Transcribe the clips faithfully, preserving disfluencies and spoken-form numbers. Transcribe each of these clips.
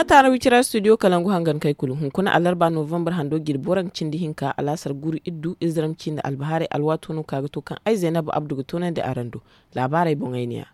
Taara wicira studio kalangu hangan kay kulu hunkuna alarba novembar hando jirbi waranka cindi hinka alaasar guru iddu izram cindi albahaarey alwaato no ka ga to kaŋ ay zaynab abdu ga toonandi araŋ do. Laabaarey boŋey ne ya.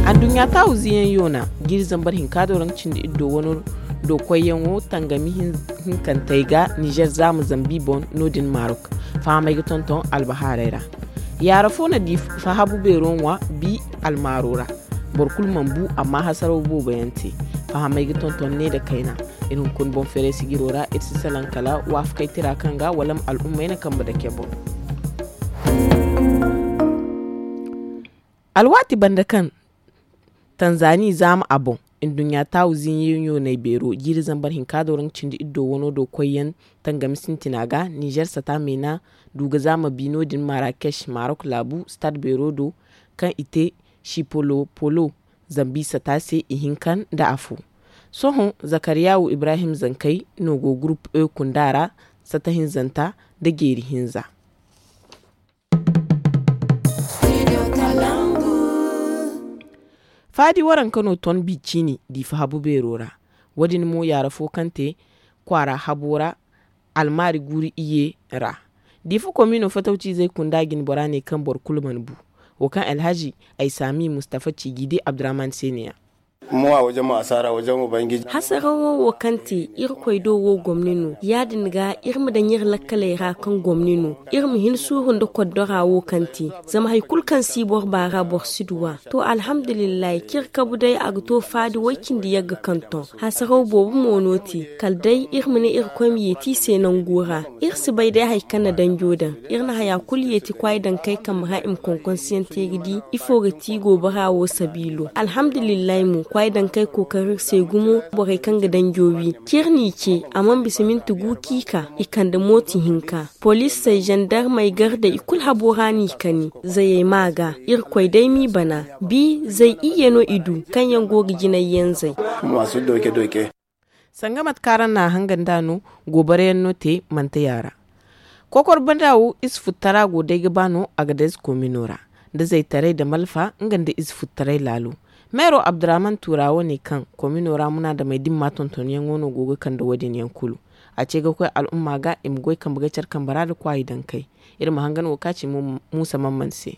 Adduɲɲa taawu ziyaŋ yoona jiiri zambar hinka do raŋ cindi iddo wano do koyyaŋo tangami hinkantey ga nizer zaama zambi boŋ no- din marok. Fahamey ga tonton albahaarey ra. Yaara fo na di fahabu beero ŋwa bi almaaro ra. Boro kulu mana bu amma hasaraw boobo yaŋ te. Fahamey ga tonton ne nda kayna. Iri hunkuna boŋ feeray sijiro ra iri si salaŋ kala waafakey tira kaŋ ga wala ma al'ummey na kambe dake boŋ. Alwaati banda kaŋ tanzani zaama a boŋ, nduɲɲa taawu ziiɲiyo ɲoonay beero jiiri zambar hinka do raŋ cindi iddo wano do koyyaŋ tangami sintina ga nizer sata meena du ga zaama bi no- din marakech marok laabu stad beero do kaŋ i te sipolopolo zambi sata se ihinka nda afo. Sohõ zakariyawu ibrahim zankey no go gurup e kunda ra sata hinzanta nda jeeri hinza. Faadi waranka no ton bi ciini diifa habu beero ra. Wo- din mo yaara fo kaŋ te kwaara habo ra almaari guuri iye ra. Diifa komino fatawciizey kunda jine bora ne kaŋ boro kulu mana bu. Wo kaŋ alhazi ay saami mustafa ciiji di abdurahman se ne- ya. Hasarawo wo kaŋ te irkoy do wo gomni no ya- din ga iri ma daŋ iri lakkaley ra kaŋ gomni no. Iri ma hin suuru nda koddora wo kaŋ te zama hari kulu kaŋ si boro baara boro si duw'a. To alhamdulillahi ciri kabu day a ga to faadi way- cindi yagga kaŋ ton. Hasaraw boobo mo no te kala day iri ma ne irkoy ma yeeti i se nango ra. Iri si bay day hari kaŋ na danjo daŋ. Iri na haya kulu yeeti kwaay dankey kambe ra i ma konkonsiyaŋ te ga di ifo ga ti goobara wo sabiilo. Alhamdulillahi mo kwaay dankey kookari iri se gumo. Borey kaŋ ga danjo wi ciri n'i ce a mana bisa minti gu k'i ka i kande mooti hinka. Poliisey zandarmey gardey i kulu habo ra n'i kani. Zayey ma ga irkoy day m'i bana. Bi zay iyye no i du kaŋ yaŋ go ga jinay yaŋ zay. Sanga mate kaŋ araŋ na a hangan nd'a no goobarayaŋ no te manteya ra. Kokor banda wo ize futtara go day ga ba no a ga day ize komino ra nda zaytaray nda malfa nga nda ize futtaray laalo. Meero abdurahman tuura wo ne kaŋ komino ra munaadamey dimma tontonyaŋo no go ga kande wo- din yaŋ kulu. A ce ga koy al'umma ga i ma goy kambe ga care kambe ra nda kwaayi dankey. Iri ma hangan wo ka ci muusa mamman se.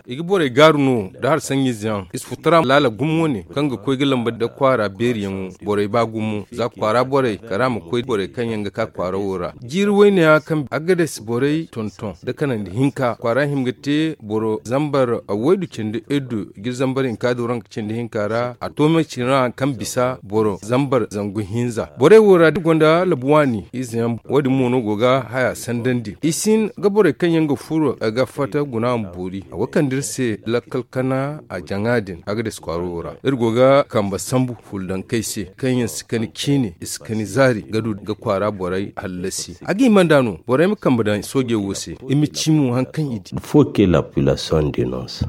I ga borey gaaru no nda hari saŋ-izeyaŋ ize futtara laala gumo wane kaŋ ga koy ga lamba nda kwaara beeriyaŋo. Borey ba gumo za kwaara borey kala a ma koy borey kaŋ yaŋ ga ka kwaara wo ra. Jiiri wayne ya kaŋ agades borey tonton nda kanandi hinka kwaara hima ga te boro zambar waydu cindi iddu jiiri zambar hinka do ranka cindi hinka ra a to me cina kaŋ bisa boro zambar zangu hinza borey wo ra da gonda labu waani izeyaŋ. Wo- din mo no go ga haya sandandi i si hin ga borey kaŋ yaŋ ga furo ga fatta guna ma boori a wo kande iri se lakkal kana a jaŋa din agades kwaaro wo ra. Iri go ga kambe sambu fuldankey se kaŋ yaŋ si kani ciine i si kani zaari ga du ga kwaara borey hallasi a ga hima nd'a no borey ma kambe daŋ soojey wo se. I ma ci mo hari kaŋ i di. Fo ke la population denonce.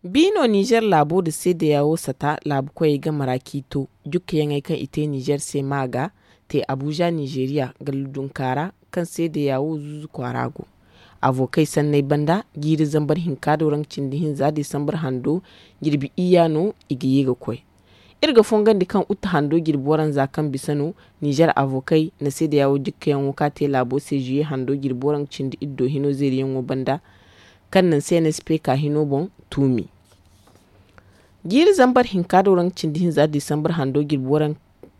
Bi no nizer laabo nda seedeya wo sata laabu koyey game ra k'i to. Jukkayaŋey kaŋ i te nizer se ma ga te abuza nizeriya galla dunka ra kaŋ seedeya wo zuuzu kwaara go. Avokey sanney banda jiiri zambar hinka do raŋ cindi hinza disambar hando jirbi iyya no i ga ye ga koy. Iri ga fongandi kaŋ utte hando jirbi waranza kaŋ bisa no nizer avokey na seedeya wo jukkayaŋo ka te laabo se zuye hando jirbi waranka cindi iddo hino zeeriyaŋo banda kaŋ naŋ se nsp ka hino boŋ tuumi. Jiiri zambar hinka do raŋ cindi hinza disambar hando jirbi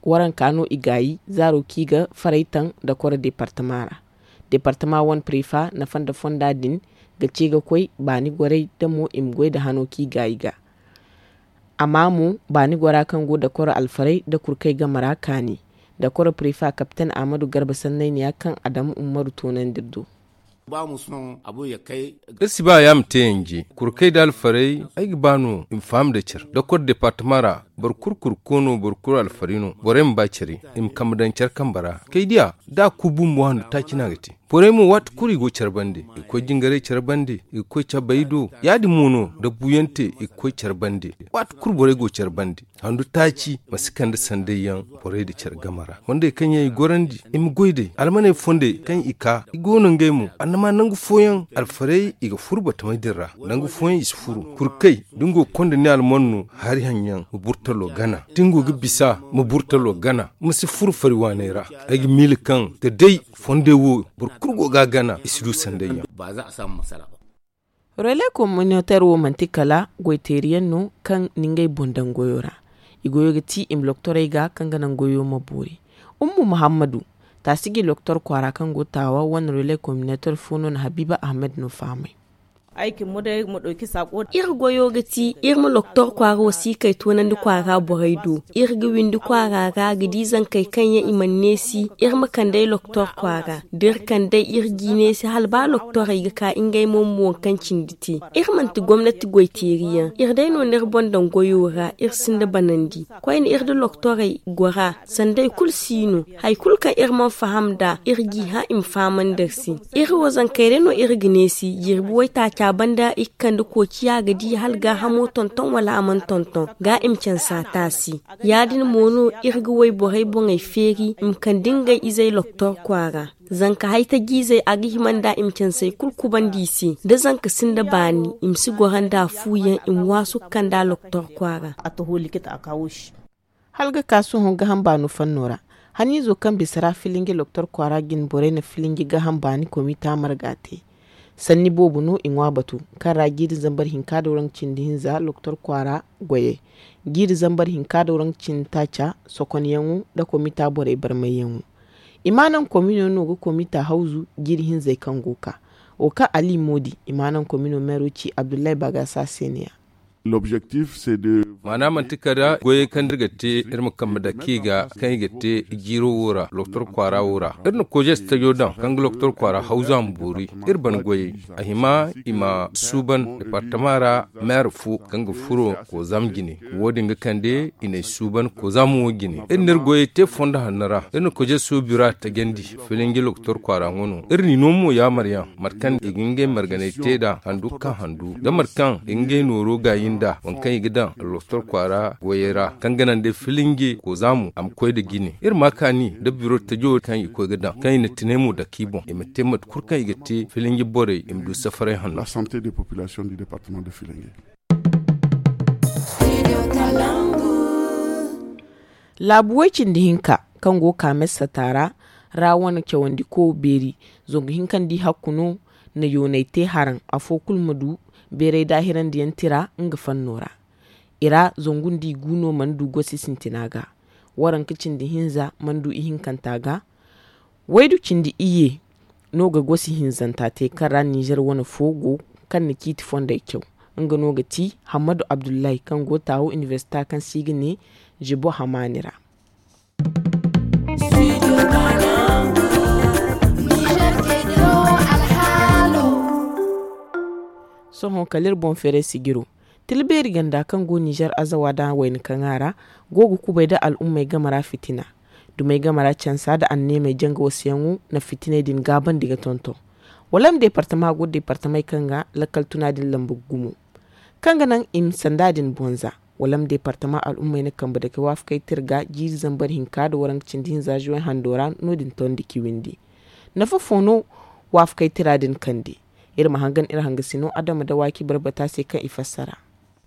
waranka no i gaayi zaaro kaŋ i ga faray taŋ dakoro departama ra. Departama wane prefa nafa nda fonda din ga ce ga koy baani gorey da mo i ma goy nda hano kaŋ i gaayi ga. Amma mo baani gora kaŋ go dakoro alfaray nda kurkey game ra kaani. Dakoro prefa kapten ahmadu garba sannayniya kaŋ adamu ummaru toonandi iri do. Iri si ba ya ma te yanje kurkey nda alfarey ay ga ba no i ma faham nda care dakor departama ra. Boro kulu kurko no boro kulu alfari no borey ma ba care i ma kambe daŋ care kambe ra kay diya da a ku bumbo handu taaci no a ga te. Borey mo waati kulu i go care bande i ga koy jingarey care bande i ga koy cabay do ya- din mo no da buuyaŋ te i ga koy care bande. Waati kulu borey go care bande. handu taaci ma si kande sanday yaŋ borey nda care game ra. Fondey kaŋ yaŋ i gorandi i ma goy day almaney fondey kaŋ i ka i go no ngey mo annama nangu fooyaŋ alfarey i ga furu batamey din ra. Nangu fooyaŋ i si furu kurkey da ni go ga konda ni alman no hari haŋ yaŋ ma burtalo gana da ni go ga bisa ma burtalo gana ma si furu fari waaney ra. Ay ga miila kaŋ da day fondey wo boro kulu go ga a gana i si du sanday yaŋ. Relais communautaire wo manti kala goy teeri yaŋ no kaŋ na ngey boŋ daŋ goyo ra. I goyo ga ti i ma loktorey ga kaŋ ga naŋ goyo ma boori. Ummu muhammadu taasi ga i loktor kwaara kaŋ go taawa wane relais communautaire fo no na habiiba ahmed no fahamay. Iri goyo ga ti iri ma loktor kwaara wasiikey toonandi kwaara borey do. Iri ga windi kwaara ra ga di zankey kaŋ yaŋ i mana neesi iri ma kand'ey loktor kwaara da iri kand'ey iri g'i neesi hala ba loktorey ga ka ngey mo ma waŋ kaŋ cindi te. Iri manti gomnati goy teeri yaŋ iri day no n'iri boŋ daŋ goyo ra iri sinda banandi. Koyne iri nda loktorey gora sanday kulu si no. Hari kulu kaŋ iri mana faham nd'a iri g'i hã i ma fahamandi iri se. Iri wo zankey day no iri ga neesi jirbi waytaaca banda i ga kande koociya ga di hala gaahamo tonton wala a mana tonton ga i ma canse a taasi. Ya- din mo no iri ga wayborey boŋey feeri i ma kande ngey izey loktor kwaara. Zanka haytajiizey a ga hima nd'a i ma cansey kulu kubandi i se da zanka sinda baani i ma si goro nd'a fu yaŋ i ma waasu ga kand'a loktor kwaara. Hala ga ka sohõ gaham baano fanno ra haniizo kaŋ bisa ra filinji loktor kwaara jine borey na filinji gaham baani komita marga te. Sanni boobo no i ŋwa batu kaŋ ra jiiri zambar hinka da waranka cindi hinza loktor kwaara goyey jiiri zambar hinka da waranka cindi taaca sokonyaŋo nda komita borey barmayyaŋo. I ma naŋ komino no ga komita hawzu jiiri hinzey kaŋ go ga ka wo kaŋ ali moodi i ma naŋ komino meero ci abdullahi bagasa se ne- ya. Maana manti kala goyey kaŋ iri ga te iri ma kambe dake i ga kaŋ i ga te jiiro wo ra loktor kwaara wo ra. Iri na kojes tajo daŋ kaŋ ga loktor kwaara hawzu a ma boori. Iri ban goyey a hima i ma suuban departama ra meera fo kaŋ ga furo kozaam jine. Wo- din ga kande i n'ay suuban kozaam wo jine iri n'iri goyey te fondo hanno ra iri na kojeso bira tajandi. Filinji loktor kwaara ŋwa no iri n'i no mo yaamaryaŋ mate kaŋ i ga ngey marganay te nd'a handu kaŋ handu da mate kaŋ i ga ngey nooro gaayi nd'a waŋ kaŋ i ga daŋ loktor kwaara goyey ra kaŋ ga naŋ day filinji kozaamo a ma koy nda jine iri ma kaani nda biro tajo kaŋ i koy ga daŋ kaŋ i na tinay mo dake i boŋ i ma te mate kulu kaŋ i ga te filinji borey i ma du safaray hanno. Laabu way cindi hinka kaŋ go ga ka messata ra ra wane cawandiko beeri zangu hinka nda i hakku no na yoonay te haraŋ afo kulu ma du beeray daahirandi yaŋ tira nga fanno ra. I ra zangu nda i gu no mana du gosi sintina ga waranka cindi hinza mana du ihinkanta ga. Waydu cindi iyye no ga gosi hinzanta te kaŋ ra ninzeer wane fo go kaŋ na ciiti fondey caw. Nga no ga ti hammadu abdullahi kaŋ go taawo inibersita kaŋ se i ga ne jibo hamaani ra. Sohõ kala iri boŋ feeray sijiro tila beeri ganda kaŋ go ninzeer azawa da wayna kaŋa ra go ga kubay nda al'ummey game ra fitina. Dumey game ra cansa nda anneemey janga wasayaŋo na fitiney din gaabandi ga tonton. Wala ma deepartama go deepartamey kaŋ ga lakkal tuna din lamba gumo kaŋ ga naŋ i ma sanda din bonza. Wala ma deepartama al'ummey na kambe dake waafakey tira ga jiiri zambar hinka nda waranka cindi hinza zuwey hando ra no- din tondi ciwindi. Nafa fo no waafakey tira din kande? Iri ma hangan iri hangasino adama da waaki barbata se kaŋ i fassara.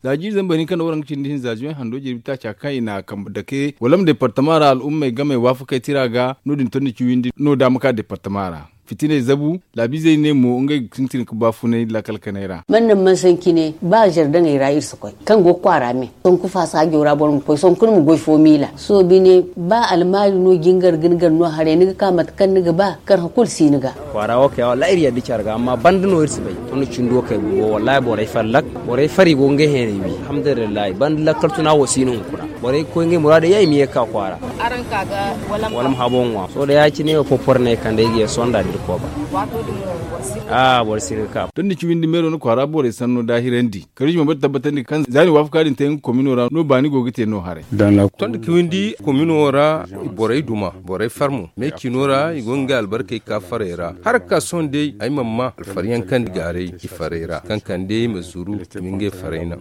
Za jiiri zambar hinka nda waranka cindi hinza zuwey hando jirbi taaca kaŋ i na kambe dake wala ma deepartama ra al'ummey gamey waafakey tira ga no- din tondi ciwindi no daama ka deepartama ra. Fitiney zabu laabiizey ne mo ngey ga sintin ga baafunay laakal kanay ra. Man naŋ man sanci ne ba zardaŋey ra iri si koy kaŋ go ga kwaara me. Sonku faasaajo ra boro ma koy sonku ni ma goy fo miila soobine ba almaari no jingar ga ni gar no haray ni ga ka mate kaŋ ni ga ba karhã kulu si ni ga. Kwaara wo kay wallaahi iri yadda care ga amma banda no iri si bay. Tun da cindi wo kay bumbo wallaahi borey fallak borey fari go ngey heeney wi. Alhamdulillahi banda lakkal tuna wo si no hunkuna. Borey ga koy ngey muraadey yaŋ i ma ye ga ka kwaara. Wala ma habo ŋwa sohõ da ya- cine wo popor no ay kande ay ga ye sonda da iri kooba. A'a boro si ni ga ka. Tun da ci windi meero na kwaara borey sanno daahirandi karuji ma bari tabbatandi kaŋ za ni waafaka din te nga komino ra no baani go ga te no haray. Tondi kiwindi komino ra borey duma borey farmo me cino ra i go ga ngey albarkey ka farey ra har ga ka sohõ day ay mana ma alfaryaŋ kaŋ di gaaray i farey ra kaŋ kande ma zuru i ma ngey farey naŋ.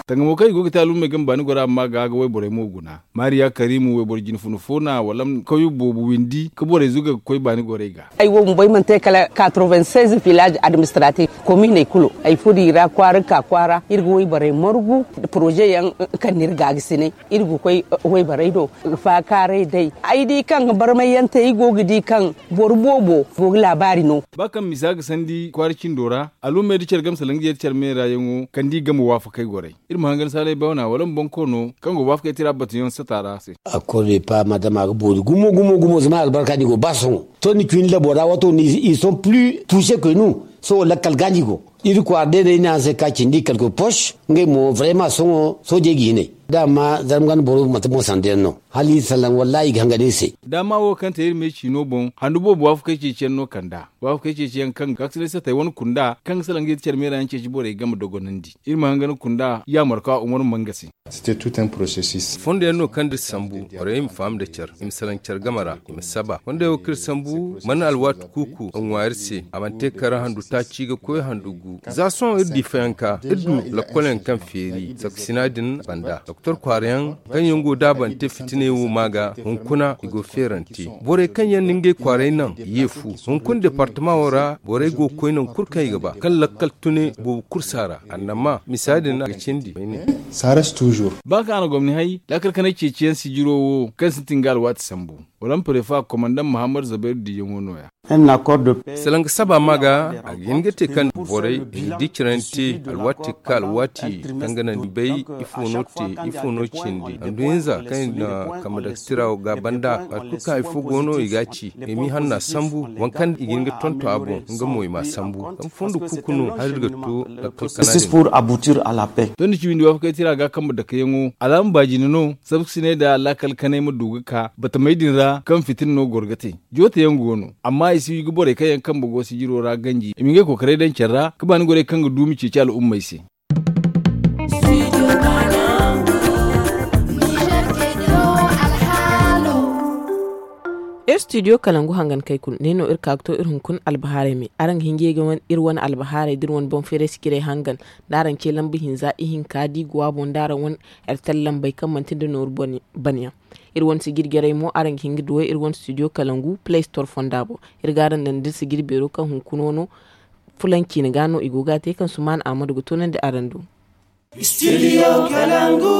Tangamo kaŋ i go ga te alumey game baani gora amma ga. Wayborey mo guna. Maariya karimu wayboro jinfuna fo no a wala kawyo boobo windi ka borey zuga ga koy baani gorey ga. Ay wo bumbo ay mana te kala quatre-vingt-seize village administratif kominey kulu ay furo i ra kwaara ga ka kwaara iri ga wayborey margu. Poroze yaŋ kaŋ no iri ga a ga sinay iri ga koy wayborey do ga faakaaray day. Ay di kaŋ barmay yaŋ te ay go ga di kaŋ boro boobo go ga laabaari no. Ba kaŋ misa ga sandi kwaara cindo ra, alumey nda care game salaŋ ga yeeti care meera yaŋo kande i game waafakey gorey. Iri ma hangan saalay bawna wala ma bonkoono kaŋ go waafakey tira batuyaŋ sata ra se. Akorde pa madama ga boori gumo gumo gumo zama albarka ni go ba sohõ. To ni cuni labo ra wato ni ils sont plus touchés que nous. Sohõ lakkal ga ni go iri kwaara day day ni a se ka cindi kalko poche. Ngey mo vraiment sohõ soojey ga hinay. Daama zarma ganda boro mate mo sanda yaŋ no hala iri salaŋ wallahi i ga hangan iri se. Daama wo kaŋ te iri me ciino boŋ handu boobo waafakey ceeciyaŋ no kand'a. Waafakey ceeciyaŋ kaŋ ga kaksirey satey wane kunda kaŋ ga salaŋ ga yeeti care meera yaŋ ceeci borey game dogonandi. Iri ma hangan kunda yaamarka umar manga se. Fondo yaŋ no kaŋ da iri sambu borey ma faham nda care i ma salaŋ care game ra i ma saba fondo yaŋ wo kaŋ iri sambu mana alwaati kuuku a ŋwa iri se a mana te kala handu taaci ga koy handu gu. Za sohõ iri di fayanka iri du lakkol yaŋ kaŋ feeri saksina din banda doktor kwaara yaŋ kaŋ yaŋ go daabante fitiney wo ma ga hunkuna i go feerante. Borey kaŋ yaŋ na ngey kwaaray naŋ i ye fu hunkuna departama wo ra borey go ga koy naŋ kulu kaŋ i ga ba kaŋ lakkal tune boobo kulu si a ra annama misa din a ga cindi. Ba kaŋ a na gomni hay lakkal kanay ceeciyaŋ sijiro wo kaŋ sintin ga alwaati sambu. Wala ma prefa komandaŋ muhammad zabayru diiyaŋo no- ya. Salaŋ ga saba ma ga a ga hin ga te kaŋ borey i ga di cirante alwaati ga ka alwaati kaŋ ga naŋ i bay ifo no te ifo no cindi handu hinza kaŋ i na kambe daga tira wo ga banda waati kulu kaŋ hari fo go no i ga a ci i m'i hanna sambu waŋ kaŋ i ga hin ga tonton a boŋ nga mo i m'a sambu zama fondo kuuku no hari iri ga to lakkal kana din. Tondi ci windi waafakey tira ga kambe dakayaŋo alaama baajine no sabkasiney nda laakal kanay ma du ga ka batamey din ra kaŋ fitina no goro ga te. Joote yaŋ go no amma i si wi ga borey kaŋ yaŋ kambe go sijiro ra ganji i ma ngey kookaray daŋ care ra ga baani gorey kaŋ ga duumi ceeci al'ummey se. Iri studio kalangu hangankey kulu ne no iri ka ga to iri hunkuna albahaarey me araŋ ga hin ga ye ga wane iri wane albahaarey da iri wane boŋ feeray sijirey hangan da araŋ ce lamba hinza ihinka da i go a boŋ da araŋ wane. Airtel lambey kaŋ manti nda nooru bana yaŋ. Iri wane sijiri jarey mo araŋ ga hin ga duw'ey iri wane studio kalangu play store fonda boŋ. Iri ga araŋ daŋ da iri sijiri beero kaŋ hunkuna no fulaŋ ciine ga no i go ga a te kaŋ sumaana ahmadu ga toonandi araŋ do. Studio kalangu.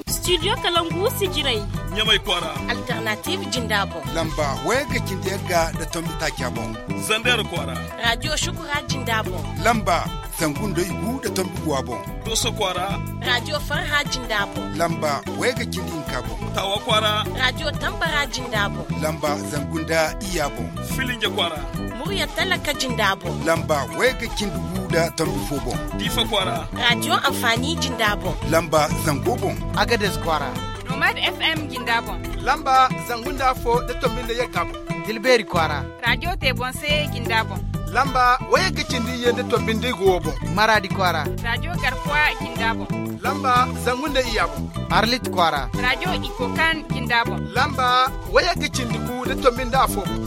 Studio kalangu sijirey. Ɲamay kwaara. Alternative jinda boŋ. Lamba wayagga cindi yagga nda tombi taaca boŋ. Zander kwaara. Radio shukura jinda boŋ. Lamba zangu nda igu nda tombi guwa boŋ. Doso kwaara. Radio farha jinda boŋ. Lamba wayagga cindi hinka boŋ. Tawa kwaara. Radio tambara jinda boŋ. Lamba zangu nda iyya boŋ. Filinje kwaara. Murya talaka jinda boŋ. Lamba wayagga cindi gu nda tombi fo boŋ. Diifa kwaara. Radio amfani jinda boŋ. Lamba zango boŋ. Agades kwaara. Nomad fm jinda boŋ. Lamba zangu nda afo nda tombi nda yagga boŋ. Tilbeeri kwaara. Radio te boŋ se jinda boŋ. Lamba wayagga cindi iyye nda tombi nda igu wo boŋ. Maraadi kwaara. Radio garkuwa jinda boŋ. Lamba zangu nda iyya boŋ. Arlit kwaara. Radio ikokan jinda boŋ. Lamba wayagga cindi gu nda tombi nda afo boŋ.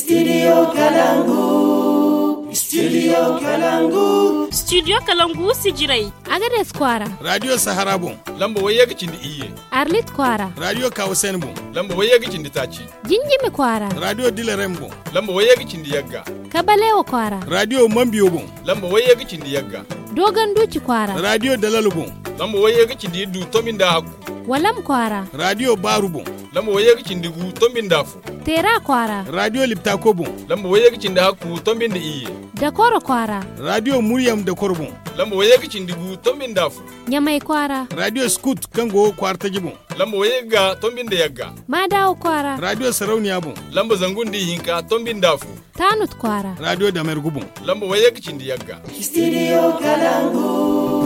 Studio kalangu. Studio kalangu. Studio kalangu sijirey. Agades kwaara. Radio sahara boŋ. Lamba wayagga cindi iyye. Arlit kwaara. Radio kawasen boŋ. Lamba wayagga cindi taaci. Jinjimi kwaara. Radio dilarem boŋ. Lamba wayye ga cindi yagga. Kabalewo kwaara. Radio mambiyo boŋ. Lamba wayye ga cindi yagga. Dogon duci kwaara. Radio dalalo boŋ. Lamba wayye ga cindi iddu tombi nda hakku. Walam kwaara. Radio baaru boŋ. Lamba wayye ga cindi gu tombi nda fu. Teera kwaara. Radio liptako boŋ. Lamba wayye ga cindi hakku tombi nda iyye. Dakoro kwaara. Radio muryam dakoro boŋ. Lamba wayye ga cindi gu tombi nda fu. Ɲamay kwaara. Radio skut kaŋ go kwaara taji boŋ. Lamba wayye ga tombi nda yagga. Maadawo kwaara. Radio sarauniya boŋ. Lamba zangu nda ihinka tombi nda fu. Taanut kwaara. Radio damergu boŋ. Lamba wayye ga cindi yagga. Studio kalangu.